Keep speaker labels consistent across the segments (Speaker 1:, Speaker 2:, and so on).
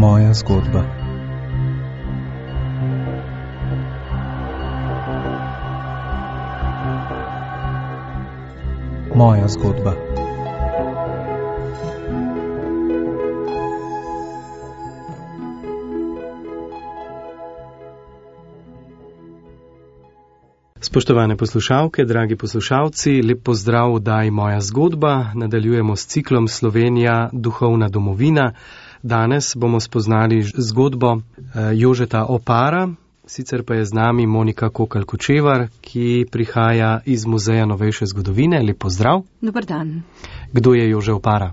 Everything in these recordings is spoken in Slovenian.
Speaker 1: Moja zgodba. Moja zgodba.
Speaker 2: Spoštovane poslušalke, dragi poslušalci, lep pozdrav v oddaji Moja zgodba. Nadaljujemo s ciklom Slovenija, duhovna domovina. Danes bomo spoznali zgodbo Jožeta Opara, sicer pa je z nami Monika Kokalj-Kočevar, ki prihaja iz Muzeja novejše zgodovine. Lep pozdrav.
Speaker 3: Dobar dan.
Speaker 2: Kdo je Jože Opara?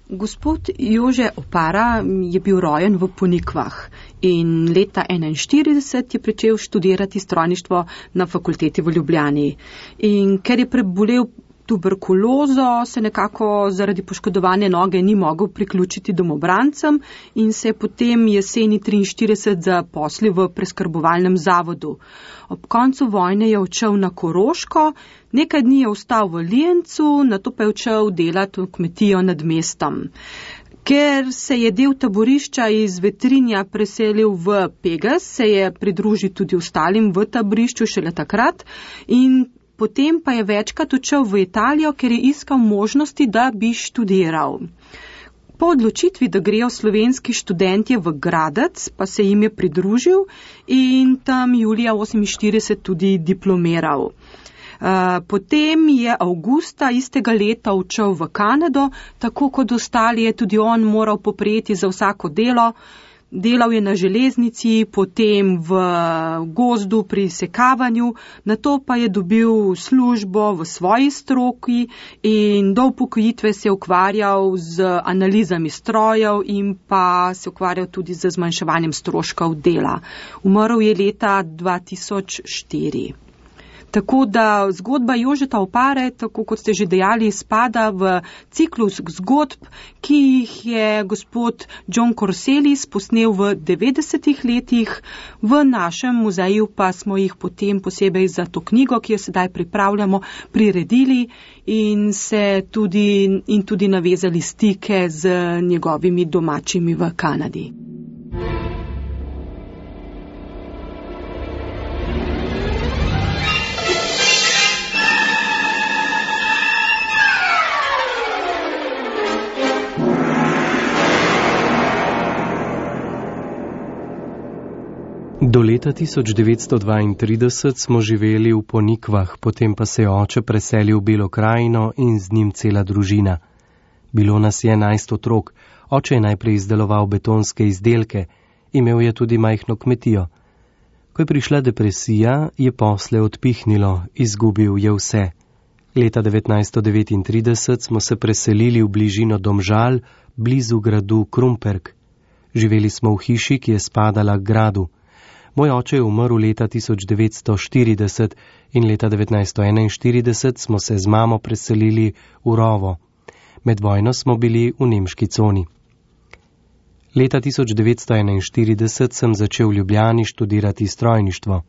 Speaker 3: Gospod Jože Opara je bil rojen v Ponikvah in leta 1941 je pričel študirati strojništvo na fakulteti v Ljubljani. In ker je prebolel tuberkulozo, se nekako zaradi poškodovane noge ni mogel priključiti domobrancem in se je potem jeseni 1943 zaposlil v preskrbovalnem zavodu. Ob koncu vojne je odšel na Koroško, nekaj dni je ostal v Lijencu, nato pa je odšel delati v kmetijo nad mestom. Ker se je del taborišča iz Vetrinja preselil v Pegas, se je pridružil tudi ostalim v taborišču šele takrat in potem pa je večkrat odšel v Italijo, ker je iskal možnosti, da bi študiral. Po odločitvi, da grejo slovenski študentje v Gradec, pa se jim je pridružil in tam julija 1948 tudi diplomiral. Potem je avgusta istega leta odšel v Kanado, tako kot ostali je tudi on moral poprijeti za vsako delo. Delal je na železnici, potem v gozdu pri sekavanju, nato pa je dobil službo v svoji stroki in do upokojitve se je ukvarjal z analizami strojev in pa se ukvarjal tudi z zmanjševanjem stroškov dela. Umrl je leta 2004. Tako da zgodba Jožeta Opare, tako kot ste že dejali, spada v ciklus zgodb, ki jih je gospod John Corselis posnel v 90-ih letih. V našem muzeju pa smo jih potem posebej za to knjigo, ki jo sedaj pripravljamo, priredili in tudi navezali stike z njegovimi domačimi v Kanadi.
Speaker 2: Do leta 1932 smo živeli v Ponikvah, potem pa se je oče preselil v Belo krajino in z njim cela družina. Bilo nas je 11 otrok, oče je najprej izdeloval betonske izdelke, imel je tudi majhno kmetijo. Ko je prišla depresija, je posle odpihnilo, izgubil je vse. Leta 1939 smo se preselili v bližino Domžal, blizu gradu Krumperk. Živeli smo v hiši, ki je spadala k gradu. Moj oče je umrl leta 1940 in leta 1941 smo se z mamo preselili v Rovo. Med vojno smo bili v nemški coni. Leta 1941 sem začel v Ljubljani študirati strojništvo.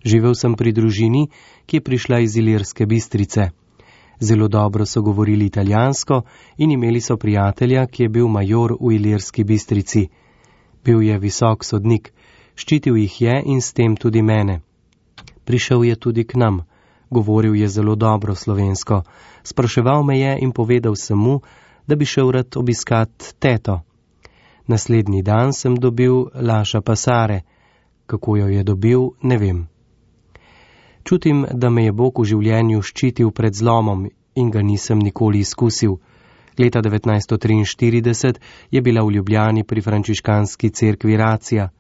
Speaker 2: Živel sem pri družini, ki je prišla iz Ilirske Bistrice. Zelo dobro so govorili italijansko in imeli so prijatelja, ki je bil major v Ilirski Bistrici. Bil je visok sodnik. Ščitil jih je in s tem tudi mene. Prišel je tudi k nam, govoril je zelo dobro slovensko, spraševal me je in povedal sem mu, da bi šel rad obiskat teto. Naslednji dan sem dobil Laša Pasare. Kako jo je dobil, ne vem. Čutim, da me je Bog v življenju ščitil pred zlomom in ga nisem nikoli izkusil. Leta 1943 je bila v Ljubljani pri frančiškanski cerkvi racija.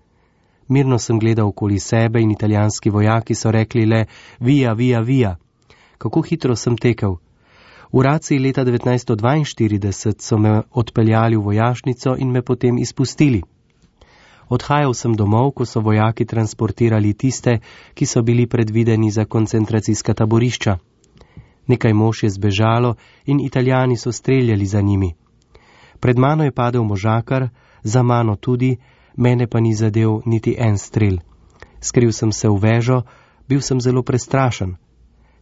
Speaker 2: Mirno sem gledal okoli sebe in italijanski vojaki so rekli le via, via, via. Kako hitro sem tekel. V raciji leta 1942 so me odpeljali v vojašnico in me potem izpustili. Odhajal sem domov, ko so vojaki transportirali tiste, ki so bili predvideni za koncentracijska taborišča. Nekaj mož je zbežalo in Italijani so streljali za njimi. Pred mano je padel možakar, za mano tudi, mene pa ni zadel niti en strel. Skril sem se v vežo, bil sem zelo prestrašen.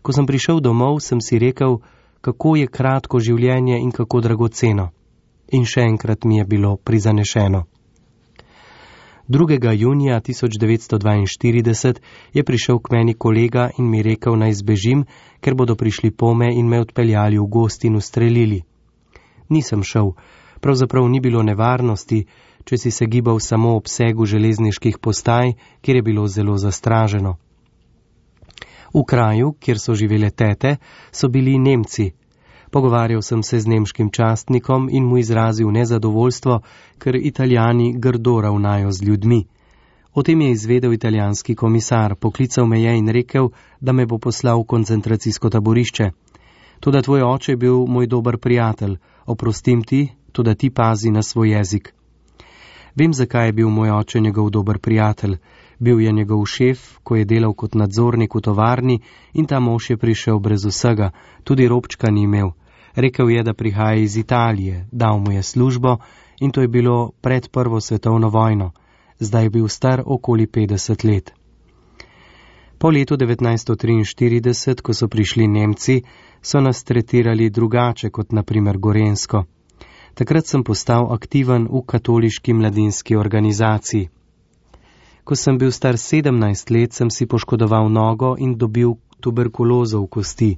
Speaker 2: Ko sem prišel domov, sem si rekel, kako je kratko življenje in kako dragoceno. In še enkrat mi je bilo prizanešeno. 2. junija 1942 je prišel k meni kolega in mi rekel, naj zbežim, ker bodo prišli pome in me odpeljali v gozd in ustrelili. Nisem šel, pravzaprav ni bilo nevarnosti, če si se gibal samo ob obsegu železniških postaj, kjer je bilo zelo zastraženo. V kraju, kjer so živele tete, so bili Nemci. Pogovarjal sem se z nemškim častnikom in mu izrazil nezadovoljstvo, ker Italijani grdo ravnajo z ljudmi. O tem je izvedel italijanski komisar, poklical me je in rekel, da me bo poslal v koncentracijsko taborišče. Toda tvoj oče je bil moj dober prijatelj, oprostim ti, toda ti pazi na svoj jezik. Vem, zakaj je bil moj oče njegov dober prijatelj. Bil je njegov šef, ko je delal kot nadzornik v tovarni in ta mož je prišel brez vsega, tudi robčka ni imel. Rekel je, da prihaja iz Italije, dal mu je službo in to je bilo pred Prvo svetovno vojno. Zdaj je bil star okoli 50 let. Po letu 1943, ko so prišli Nemci, so nas tretirali drugače kot na primer Gorenjsko. Takrat sem postal aktiven v katoliški mladinski organizaciji. Ko sem bil star 17 let, sem si poškodoval nogo in dobil tuberkulozo v kosti.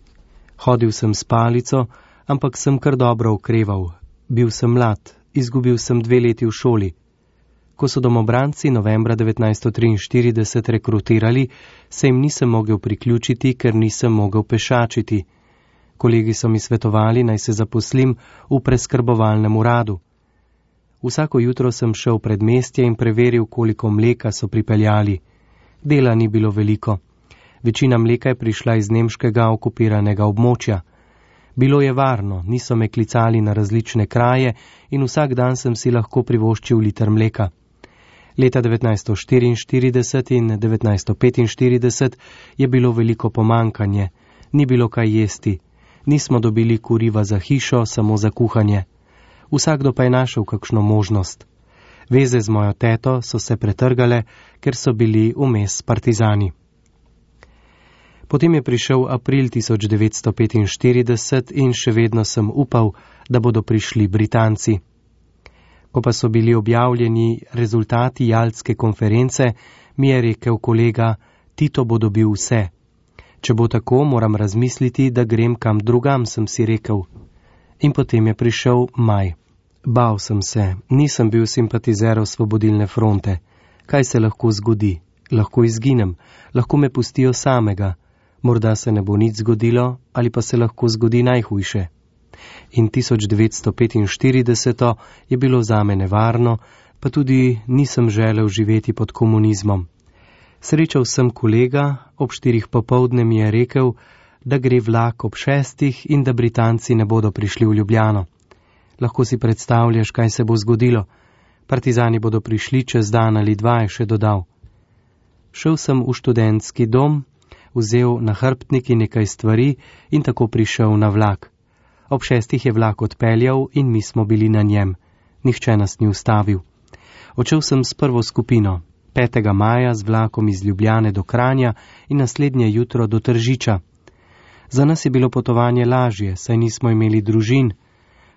Speaker 2: Hodil sem s palico, ampak sem kar dobro okreval. Bil sem mlad, izgubil sem 2 leti v šoli. Ko so domobranci novembra 1943 rekrutirali, se jim nisem mogel priključiti, ker nisem mogel pešačiti. Kolegi so mi svetovali, naj se zaposlim v preskrbovalnem uradu. Vsako jutro sem šel v predmestje in preveril, koliko mleka so pripeljali. Dela ni bilo veliko. Večina mleka je prišla iz nemškega okupiranega območja. Bilo je varno, niso me klicali na različne kraje in vsak dan sem si lahko privoščil liter mleka. Leta 1944 in 1945 je bilo veliko pomankanje. Ni bilo kaj jesti. Nismo dobili kuriva za hišo, samo za kuhanje. Vsakdo pa je našel kakšno možnost. Veze z mojo teto so se pretrgale, ker so bili vmes partizani. Potem je prišel april 1945 in še vedno sem upal, da bodo prišli Britanci. Ko pa so bili objavljeni rezultati Jaltske konference, mi je rekel kolega, Tito bo dobil vse. Če bo tako, moram razmisliti, da grem kam drugam, sem si rekel. In potem je prišel maj. Bal sem se, nisem bil simpatizer Osvobodilne fronte. Kaj se lahko zgodi? Lahko izginem, lahko me pustijo samega. Morda se ne bo nič zgodilo, ali pa se lahko zgodi najhujše. In 1945 je bilo zame nevarno, pa tudi nisem želel živeti pod komunizmom. Srečal sem kolega, ob 4 popoldne mi je rekel, da gre vlak ob 6 in da Britanci ne bodo prišli v Ljubljano. Lahko si predstavljaš, kaj se bo zgodilo. Partizani bodo prišli čez dan ali 2, je še dodal. Šel sem v študentski dom, vzel na hrbtniki nekaj stvari in tako prišel na vlak. Ob 6 je vlak odpeljal in mi smo bili na njem. Nihče nas ni ustavil. Odšel sem s prvo skupino, 5. maja z vlakom iz Ljubljane do Kranja in naslednje jutro do Tržiča. Za nas je bilo potovanje lažje, saj nismo imeli družin.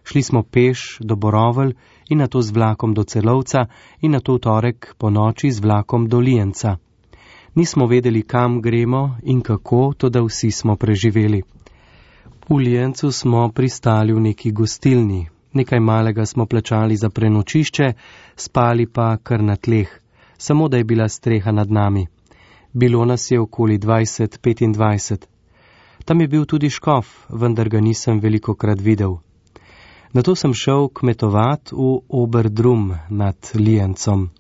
Speaker 2: Šli smo peš do Borovelj in nato z vlakom do Celovca in nato v torek po noči z vlakom do Lijenca. Nismo vedeli, kam gremo in kako, toda vsi smo preživeli. V Lijencu smo pristali v neki gostilni. Nekaj malega smo plačali za prenočišče, spali pa kar na tleh. Samo da je bila streha nad nami. Bilo nas je okoli 20-25. Tam je bil tudi škof, vendar ga nisem velikokrat videl. Nato sem šel kmetovat v Oberdrum nad Lijencom.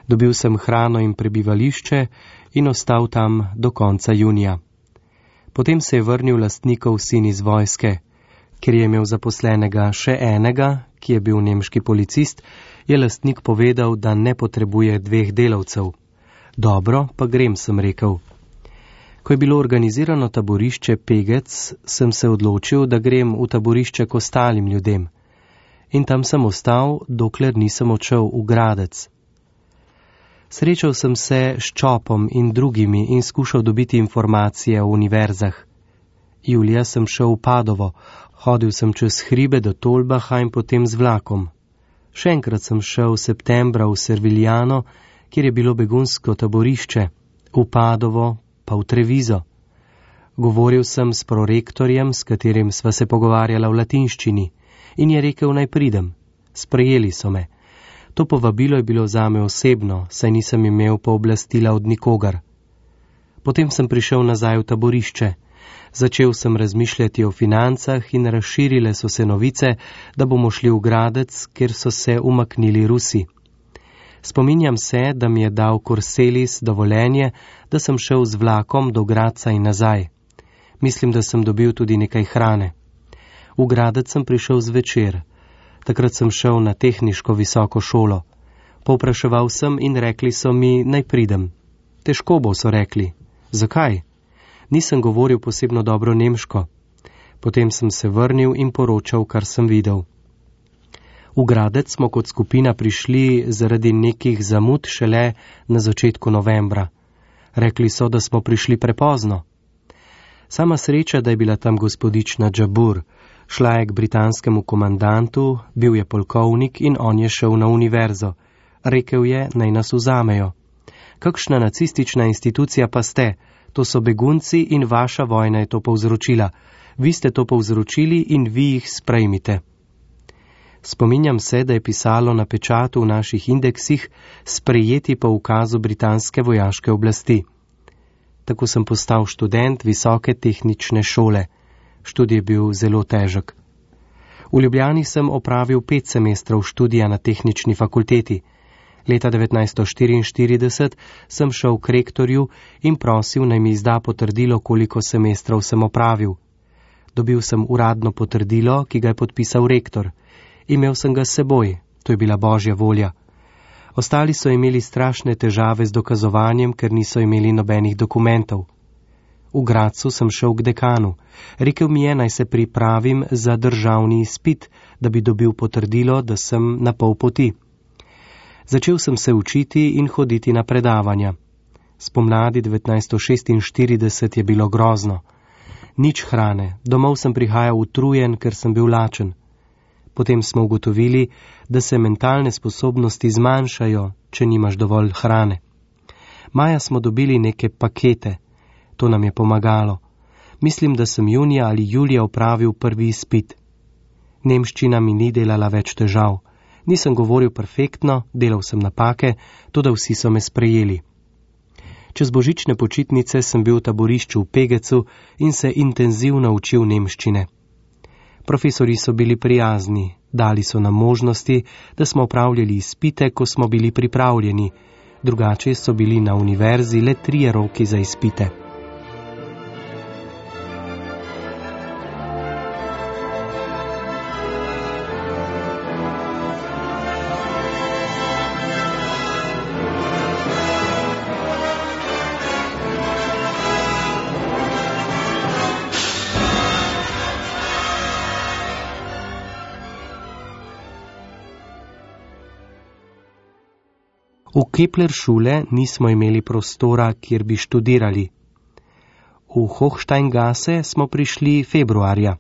Speaker 2: Dobil sem hrano in prebivališče in ostal tam do konca junija. Potem se je vrnil lastnikov sin iz vojske. Ker je imel zaposlenega še enega, ki je bil nemški policist, je lastnik povedal, da ne potrebuje 2 delavcev. Dobro, pa grem, sem rekel. Ko je bilo organizirano taborišče Pegec, sem se odločil, da grem v taborišče k ostalim ljudem. In tam sem ostal, dokler nisem odšel v Gradec. Srečal sem se s Čopom in drugimi in skušal dobiti informacije o univerzah. Julija sem šel v Padovo, hodil sem čez hribe do Tolbaha in potem z vlakom. Še enkrat sem šel septembra v Serviljano, kjer je bilo begunsko taborišče, v Padovo pa v Trevizo. Govoril sem s prorektorjem, s katerim sva se pogovarjala v latinščini, in je rekel, naj pridem. Sprejeli so me. To povabilo je bilo zame osebno, saj nisem imel pooblastila od nikogar. Potem sem prišel nazaj v taborišče. Začel sem razmišljati o financah in razširile so se novice, da bomo šli v Gradec, kjer so se umaknili Rusi. Spominjam se, da mi je dal Korselis dovoljenje, da sem šel z vlakom do Gradca in nazaj. Mislim, da sem dobil tudi nekaj hrane. V Gradec sem prišel zvečer. Takrat sem šel na tehniško visoko šolo. Povpraševal sem in rekli so mi, naj pridem. Težko bo, so rekli. Zakaj? Nisem govoril posebno dobro nemško. Potem sem se vrnil in poročal, kar sem videl. V Gradec smo kot skupina prišli zaradi nekih zamud šele na začetku novembra. Rekli so, da smo prišli prepozno. Sama sreča, da je bila tam gospodična Džabur. Šla je k britanskemu komandantu, bil je polkovnik in on je šel na univerzo. Rekel je, naj nas vzamejo. Kakšna nacistična institucija pa ste? To so begunci in vaša vojna je to povzročila. Vi ste to povzročili in vi jih sprejmite. Spominjam se, da je pisalo na pečatu v naših indeksih sprejeti po ukazu britanske vojaške oblasti. Tako sem postal študent visoke tehnične šole. Študij je bil zelo težek. V Ljubljani sem opravil 5 semestrov študija na tehnični fakulteti. Leta 1944 sem šel k rektorju in prosil, naj mi izda potrdilo, koliko semestrov sem opravil. Dobil sem uradno potrdilo, ki ga je podpisal rektor. Imel sem ga s seboj, to je bila božja volja. Ostali so imeli strašne težave z dokazovanjem, ker niso imeli nobenih dokumentov. V Gradcu sem šel k dekanu. Rekel mi je, naj se pripravim za državni izpit, da bi dobil potrdilo, da sem na pol poti. Začel sem se učiti in hoditi na predavanja. Spomladi 1946 je bilo grozno. Nič hrane, domov sem prihajal utrujen, ker sem bil lačen. Potem smo ugotovili, da se mentalne sposobnosti zmanjšajo, če nimaš dovolj hrane. Maja smo dobili neke pakete. To nam je pomagalo. Mislim, da sem junija ali julija opravil prvi izpit. Nemščina mi ni delala več težav. Nisem govoril perfektno, delal sem napake, toda vsi so me sprejeli. Čez božične počitnice sem bil v taborišču v Pegecu in se intenzivno učil nemščine. Profesori so bili prijazni, dali so nam možnosti, da smo opravljali izpite, ko smo bili pripravljeni. Drugače so bili na univerzi le 3 roki za izpite. V Kepler-šule nismo imeli prostora, kjer bi študirali. V Hochsteingasse smo prišli februarja.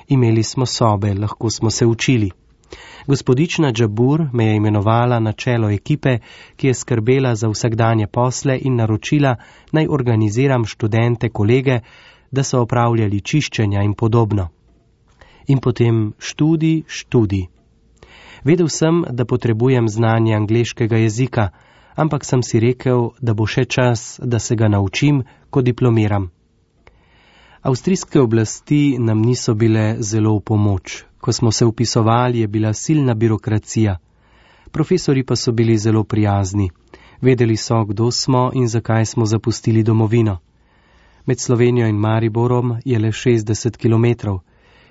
Speaker 2: Imeli smo sobe, lahko smo se učili. Gospodična Džabur me je imenovala na čelo ekipe, ki je skrbela za vsakdanje posle in naročila, naj organiziram študente, kolege, da so opravljali čiščenja in podobno. In potem študij. Vedel sem, da potrebujem znanje angleškega jezika, ampak sem si rekel, da bo še čas, da se ga naučim, ko diplomiram. Avstrijske oblasti nam niso bile zelo v pomoč. Ko smo se vpisovali, je bila silna birokracija. Profesori pa so bili zelo prijazni. Vedeli so, kdo smo in zakaj smo zapustili domovino. Med Slovenijo in Mariborom je le 60 kilometrov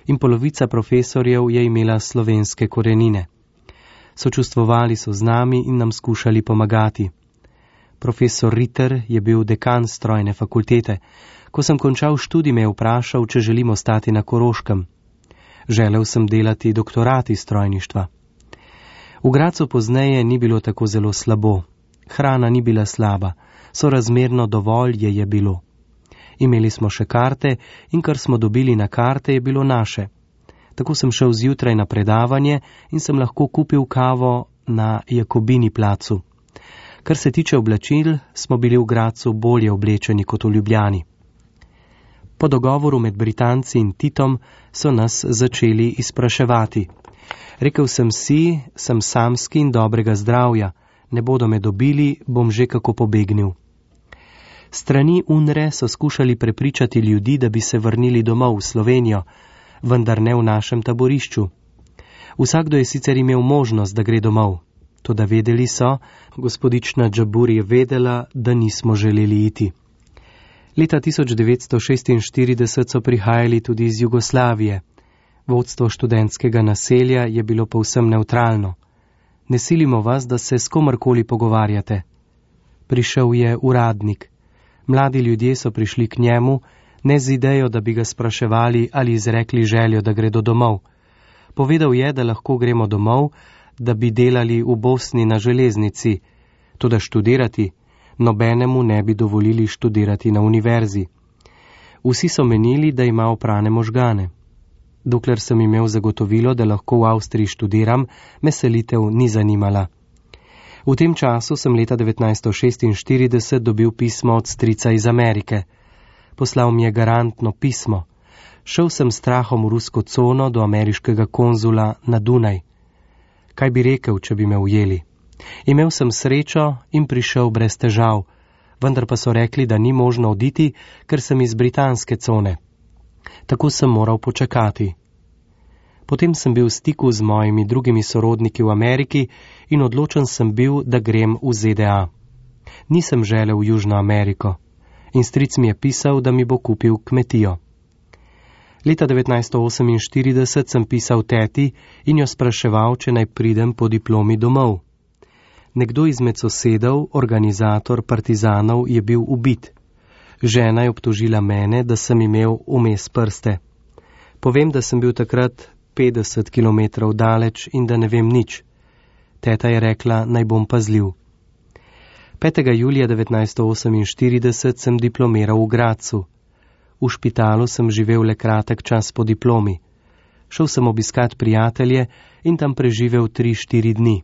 Speaker 2: in polovica profesorjev je imela slovenske korenine. Sočustvovali so z nami in nam skušali pomagati. Profesor Ritter je bil dekan strojne fakultete. Ko sem končal študij, me je vprašal, če želim ostati na Koroškem. Želel sem delati doktorat iz strojništva. V Gradcu pozneje ni bilo tako zelo slabo. Hrana ni bila slaba, sorazmerno dovolj je bilo. Imeli smo še karte in kar smo dobili na karte, je bilo naše. Tako sem šel zjutraj na predavanje in sem lahko kupil kavo na Jakobini placu. Kar se tiče oblačil, smo bili v Gradcu bolje oblečeni kot v Ljubljani. Po dogovoru med Britanci in Titom so nas začeli izpraševati. Rekel sem si, sem samski in dobrega zdravja, ne bodo me dobili, bom že kako pobegnil. Strani UNRE so skušali prepričati ljudi, da bi se vrnili domov v Slovenijo, vendar ne v našem taborišču. Vsakdo je sicer imel možnost, da gre domov. Toda vedeli so, gospodična Džabur je vedela, da nismo želeli iti. Leta 1946 so prihajali tudi iz Jugoslavije. Vodstvo študentskega naselja je bilo povsem nevtralno. Ne silimo vas, da se s komarkoli pogovarjate. Prišel je uradnik. Mladi ljudje so prišli k njemu, ne z idejo, da bi ga spraševali ali izrekli željo, da gredo domov. Povedal je, da lahko gremo domov, da bi delali v Bosni na železnici, toda študirati, nobenemu ne bi dovolili študirati na univerzi. Vsi so menili, da ima oprane možgane. Dokler sem imel zagotovilo, da lahko v Avstriji študiram, me selitev ni zanimala. V tem času sem leta 1946 dobil pismo od strica iz Amerike. Poslal mi je garantno pismo. Šel sem s strahom v rusko cono do ameriškega konzula na Dunaj. Kaj bi rekel, če bi me ujeli? Imel sem srečo in prišel brez težav, vendar pa so rekli, da ni možno oditi, ker sem iz britanske cone. Tako sem moral počakati. Potem sem bil v stiku z mojimi drugimi sorodniki v Ameriki in odločen sem bil, da grem v ZDA. Nisem želel v Južno Ameriko in stric mi je pisal, da mi bo kupil kmetijo. Leta 1948 sem pisal teti in jo spraševal, če naj pridem po diplomi domov. Nekdo izmed sosedov, organizator partizanov, je bil ubit. Žena je obtožila mene, da sem imel vmes prste. Povem, da sem bil takrat 50 kilometrov daleč in da ne vem nič. Teta je rekla, naj bom pazljiv. 5. julija 1948 sem diplomiral v Gradcu. V špitalu sem živel le kratek čas po diplomi. Šel sem obiskat prijatelje in tam preživel 3-4 dni.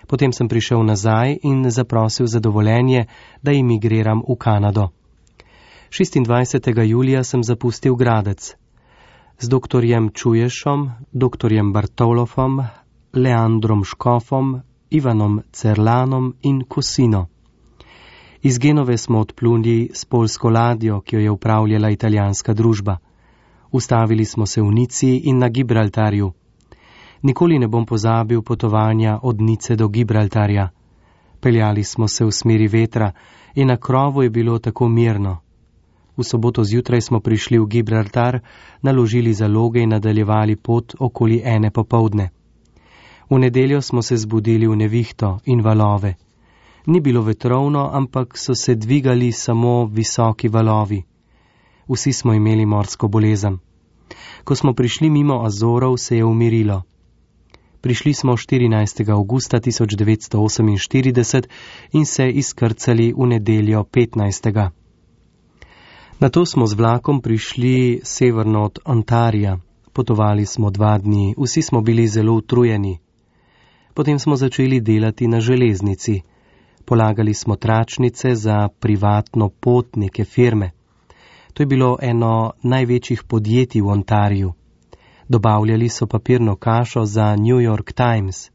Speaker 2: Potem sem prišel nazaj in zaprosil za dovoljenje, da emigriram v Kanado. 26. julija sem zapustil Gradec. Z doktorjem Čuješom, doktorjem Bartolofom, Leandrom Škofom, Ivanom Cerlanom in Kosino. Iz Genove smo odpluli s poljsko ladjo, ki jo je upravljala italijanska družba. Ustavili smo se v Nici in na Gibraltarju. Nikoli ne bom pozabil potovanja od Nice do Gibraltarja. Peljali smo se v smeri vetra in na krovu je bilo tako mirno. V soboto zjutraj smo prišli v Gibraltar, naložili zaloge in nadaljevali pot okoli 1 popoldne. V nedeljo smo se zbudili v nevihto in valove. Ni bilo vetrovno, ampak so se dvigali samo visoki valovi. Vsi smo imeli morsko bolezen. Ko smo prišli mimo Azorov, se je umirilo. Prišli smo 14. avgusta 1948 in se izkrcali v nedeljo 15. Nato smo z vlakom prišli severno od Ontarija. Potovali smo 2 dni, vsi smo bili zelo utrujeni. Potem smo začeli delati na železnici. Polagali smo tračnice za privatno pot neke firme. To je bilo eno največjih podjetij v Ontariju. Dobavljali so papirno kašo za New York Times.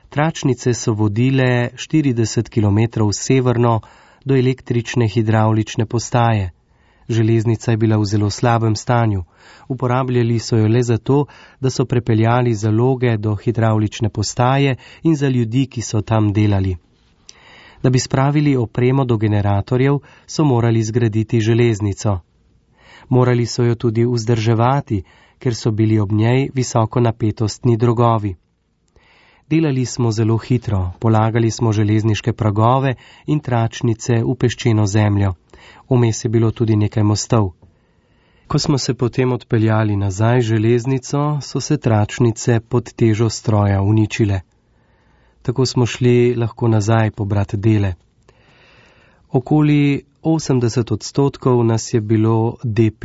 Speaker 2: Tračnice so vodile 40 km severno do električne hidravlične postaje. Železnica je bila v zelo slabem stanju. Uporabljali so jo le zato, da so prepeljali zaloge do hidravlične postaje in za ljudi, ki so tam delali. Da bi spravili opremo do generatorjev, so morali zgraditi železnico. Morali so jo tudi vzdrževati, ker so bili ob njej visokonapetostni drogovi. Delali smo zelo hitro, polagali smo železniške pragove in tračnice v peščeno zemljo. Vmes je bilo tudi nekaj mostov. Ko smo se potem odpeljali nazaj železnico, so se tračnice pod težo stroja uničile. Tako smo šli lahko nazaj pobrat dele. Okoli 80% nas je bilo DP,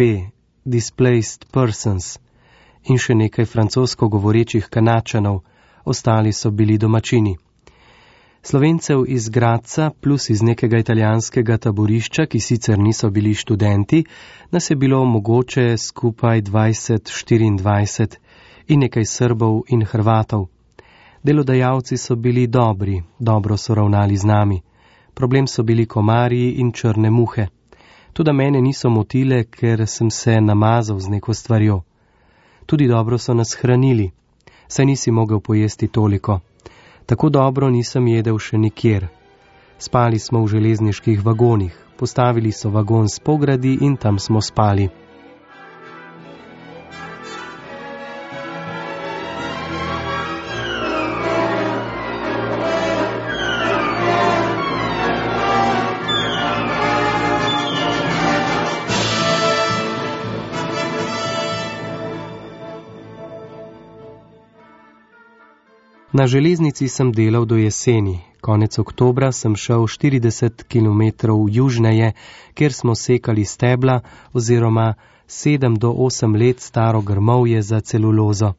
Speaker 2: Displaced Persons, in še nekaj francosko govorečih Kanačanov, ostali so bili domačini. Slovencev iz Gradca plus iz nekega italijanskega taborišča, ki sicer niso bili študenti, nas je bilo mogoče skupaj 20-24 in nekaj Srbov in Hrvatov. Delodajalci so bili dobri, dobro so ravnali z nami. Problem so bili komarji in črne muhe. Toda mene niso motile, ker sem se namazal z neko stvarjo. Tudi dobro so nas hranili, saj nisi mogel pojesti toliko. Tako dobro nisem jedel še nikjer. Spali smo v železniških vagonih, postavili so vagon s pogradi in tam smo spali. Na železnici sem delal do jeseni. Konec oktobra sem šel 40 km južneje, kjer smo sekali stebla oziroma 7 do 8 let staro grmovje za celulozo.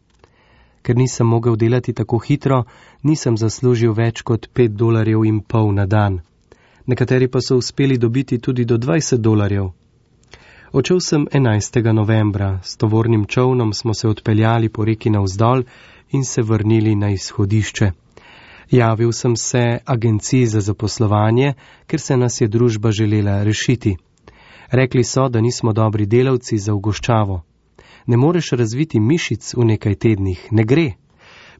Speaker 2: Ker nisem mogel delati tako hitro, nisem zaslužil več kot $5,50 na dan. Nekateri pa so uspeli dobiti tudi do $20. Odšel sem 11. novembra. S tovornim čolnom smo se odpeljali po reki navzdol in se vrnili na izhodišče. Javil sem se agenciji za zaposlovanje, ker se nas je družba želela rešiti. Rekli so, da nismo dobri delavci za ugoščavo. Ne moreš razviti mišic v nekaj tednih, ne gre.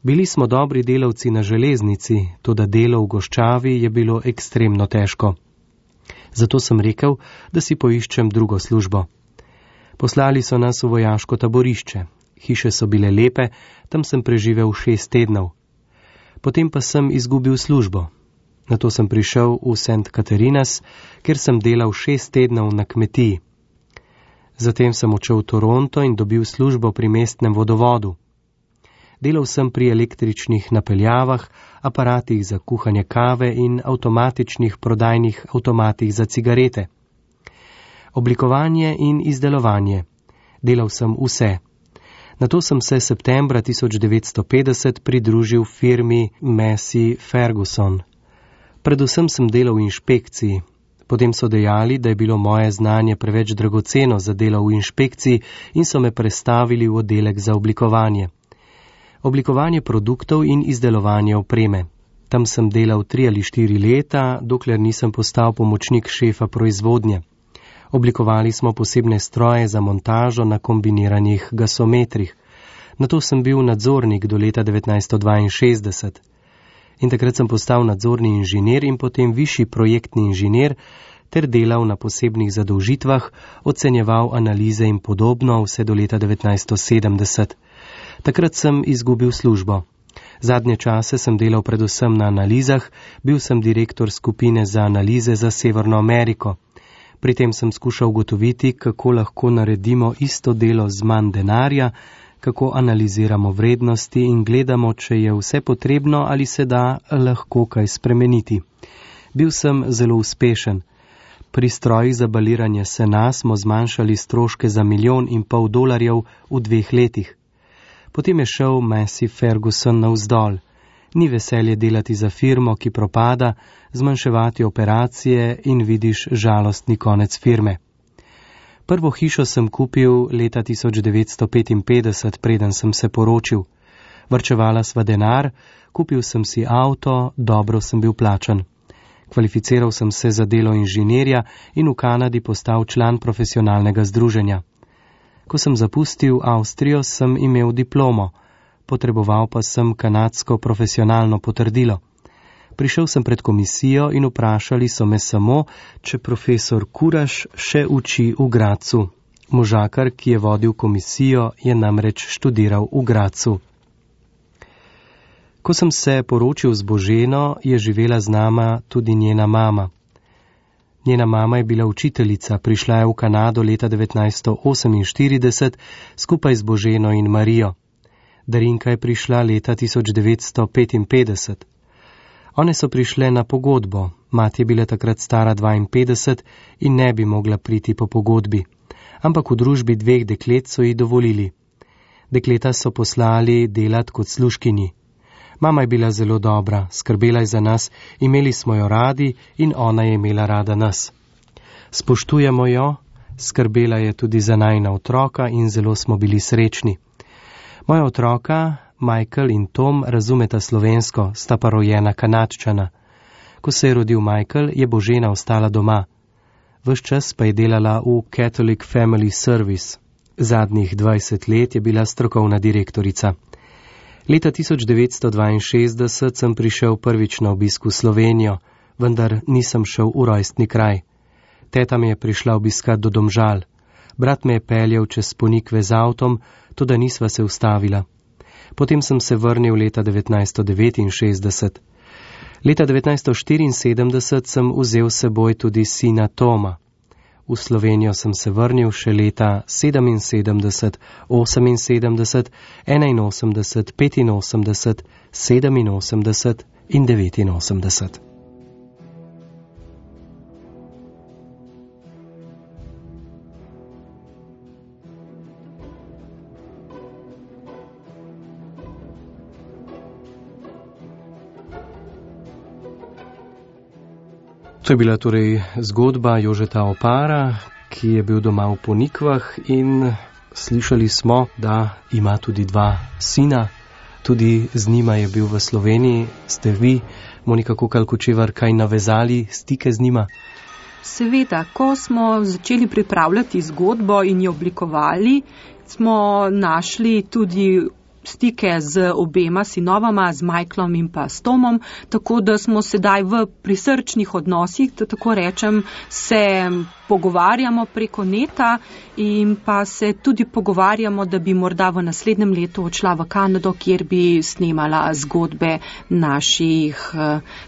Speaker 2: Bili smo dobri delavci na železnici, toda delo v goščavi je bilo ekstremno težko. Zato sem rekel, da si poiščem drugo službo. Poslali so nas v vojaško taborišče. Hiše so bile lepe, tam sem preživel 6 tednov. Potem pa sem izgubil službo. Nato sem prišel v St. Catarinas, kjer sem delal 6 tednov na kmetiji. Zatem sem odšel v Toronto in dobil službo pri mestnem vodovodu. Delal sem pri električnih napeljavah, aparatih za kuhanje kave in avtomatičnih prodajnih avtomatih za cigarete. Oblikovanje in izdelovanje. Delal sem vse. Nato sem se septembra 1950 pridružil firmi Massey Ferguson. Predvsem sem delal v inšpekciji. Potem so dejali, da je bilo moje znanje preveč dragoceno za delo v inšpekciji in so me prestavili v oddelek za oblikovanje. Oblikovanje produktov in izdelovanje opreme. Tam sem delal 3 ali 4 leta, dokler nisem postal pomočnik šefa proizvodnje. Oblikovali smo posebne stroje za montažo na kombiniranih gasometrih. Nato sem bil nadzornik do leta 1962. In takrat sem postal nadzorni inženir in potem višji projektni inženir ter delal na posebnih zadolžitvah, ocenjeval analize in podobno vse do leta 1970. Takrat sem izgubil službo. Zadnje čase sem delal predvsem na analizah, bil sem direktor skupine za analize za Severno Ameriko. Pri tem sem skušal ugotoviti, kako lahko naredimo isto delo z manj denarja, kako analiziramo vrednosti in gledamo, če je vse potrebno ali se da lahko kaj spremeniti. Bil sem zelo uspešen. Pri strojih za baliranje sena smo zmanjšali stroške za $1,5 v 2 letih. Potem je šel Massey Ferguson navzdol. Ni veselje delati za firmo, ki propada, zmanjševati operacije in vidiš žalostni konec firme. Prvo hišo sem kupil leta 1955, preden sem se poročil. Varčevala sva denar, kupil sem si avto, dobro sem bil plačan. Kvalificiral sem se za delo inženirja in v Kanadi postal član profesionalnega združenja. Ko sem zapustil Avstrijo, sem imel diplomo. Potreboval pa sem kanadsko profesionalno potrdilo. Prišel sem pred komisijo in vprašali so me samo, če profesor Kuraš še uči v Gradcu. Možakar, ki je vodil komisijo, je namreč študiral v Gradcu. Ko sem se poročil z Boženo, je živela z nama tudi njena mama. Njena mama je bila učiteljica, prišla je v Kanado leta 1948 skupaj z Boženo in Marijo. Darinka je prišla leta 1955. One so prišle na pogodbo. Mati je bila takrat stara 52 in ne bi mogla priti po pogodbi. Ampak v družbi 2 deklet so ji dovolili. Dekleta so poslali delat kot služkinji. Mama je bila zelo dobra, skrbela je za nas, imeli smo jo radi in ona je imela rada nas. Spoštujemo jo, skrbela je tudi za najina otroka in zelo smo bili srečni. Moja otroka, Michael in Tom, razumeta slovensko, sta pa rojena Kanadčana. Ko se je rodil Michael, je Božena ostala doma. Ves čas pa je delala v Catholic Family Service. Zadnjih 20 let je bila strokovna direktorica. Leta 1962 sem prišel prvič na obisk v Slovenijo, vendar nisem šel v rojstni kraj. Teta me je prišla obiskat do Domžal. Brat me je peljal čez Ponikve z avtom, toda nisva se ustavila. Potem sem se vrnil leta 1969. Leta 1974 sem vzel s seboj tudi sina Toma. V Slovenijo sem se vrnil še leta 77, 78, 81, 85, 87 in 89. To je bila torej zgodba Jožeta Opara, ki je bil doma v Ponikvah in slišali smo, da ima tudi 2 sina. Tudi z njima je bil v Sloveniji. Ste vi, Monika Kukal-Kočevar, kaj navezali stike z njima?
Speaker 3: Seveda, ko smo začeli pripravljati zgodbo in jo oblikovali, smo našli tudi stike z obema sinovama, z Michaelom in pa s Tomom, tako da smo sedaj v prisrčnih odnosih, da tako rečem, se pogovarjamo preko neta in pa se tudi pogovarjamo, da bi morda v naslednjem letu odšla v Kanado, kjer bi snemala zgodbe naših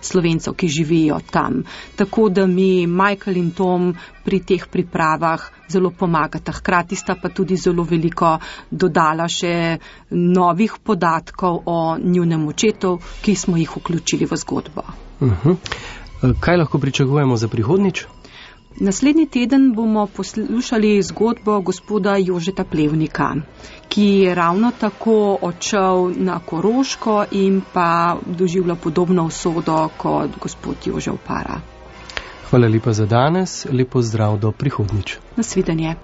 Speaker 3: Slovencev, ki živijo tam. Tako da mi Michael in Tom pri teh pripravah zelo pomagata. Hkrati sta pa tudi zelo veliko dodala še novih podatkov o njunem očetu, ki smo jih vključili v zgodbo.
Speaker 2: Kaj lahko pričakujemo za prihodnjič?
Speaker 3: Naslednji teden bomo poslušali zgodbo gospoda Jožeta Plevnika, ki je ravno tako odšel na Koroško in pa doživljal podobno usodo kot gospod Jože Opara.
Speaker 2: Hvala lepa za danes, lepo zdrav do prihodnjič.
Speaker 3: Nasvidenje.